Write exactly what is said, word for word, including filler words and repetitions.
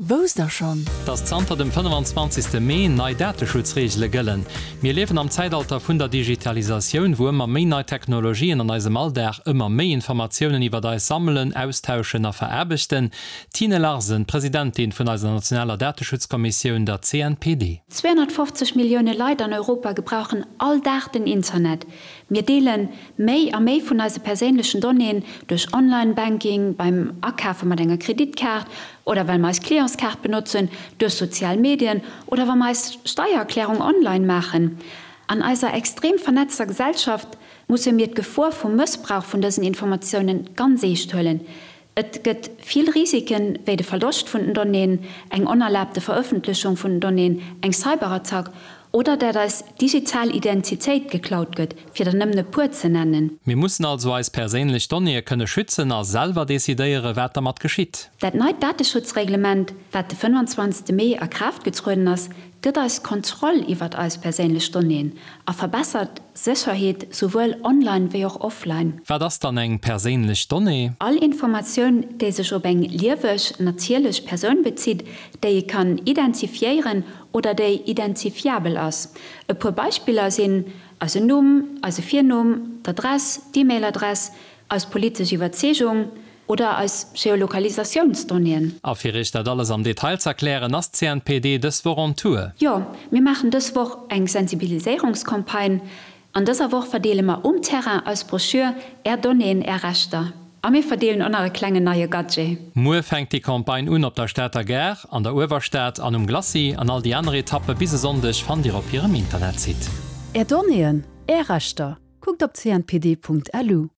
Wousst der schonn? Dass zanter dem fënnefenzwanzegste Mee nei Dateschutzreegele gëllen. Mir liewen am Zäitalter vun der Digitalisatioun, wou ëmmer méi nei Technologien an eisem Alldag ëmmer méi Informatiounen iwwert eis sammelen, austauschen a veraarbechten. Tine Larsen, Presidentin vun eiser nationaler Dateschutzkommissioun, der C N P D. Zweehonnertfofzeg Millioune Leit an Europa gebrauchen all Dag den Internet. Mir deele méi a méi vun eise perséinlechen Donnéeën duerch Online-Banking, beim Akafe mat enger Kreditkaart oder well mer eis Clientskaart benotzen, duerch sozial Medien oder wa mer eis Steiererklärung online maachen. An eiser extrem vernetzter Gesellschaft musse mir d'Gefor vum Mëssbrauch vun dësen Informatiounen ganz eescht huelen. Et gëtt vill Risiken, wéi de Verloscht vun den Donnéeën, eng onerlaabte Verëffentlechung vun den Donnéeën, eng Cyberattack oder dat eis digital Identitéit geklaut gëtt, fir der nëmmen e puer ze nennen. Mir mussen also eis perséinlech Donnéeë kënne schützen a selwer decidéieren, wat dermat geschitt. Dat neit Dateschutzreglement, wat de fënnefenzwanzegste Mee a Kraaft getrueden ass, gëtt eis Kontroll iwwert eis perséinlech Donnéeën a verbessert d'Sécherheet souwuel online wéi och offline. Wat ass dann eng perséinlech Donnée? All Informatioun, déi sech op eng lieweg, natierlech Persoun bezitt, déi ee kann identifiéieren oder déi identifiabel ass. E puer Beispiller sinn eisen Numm, eise Virnumm, d'Adress, d'E-Mail-Adress, eis politesch Iwwerzeegung oder eis Geolokalisatiounsdonnéeën. A fir iech dat alles am Detail z'erklären, ass d'C N P D dës Woch on Tour. Jo, mir maachen dës Woch eng Sensibiliséierungscampagne. An dëser Woch verdeele mer um Terrain eis Broschür Är Donnéeën, Är Rechter. A mir verdeelen och nach e klengen neie Gadget. Muer fänkt déi Campagne un op der Stater Gare, an der Uewerstad an um Glacis. An all déi aner Etappe bis e Sonndeg fannt Dir op hirem Internetsite. Är Donnéeën, Är Rechter. Kuckt op C N P D Punkt L U.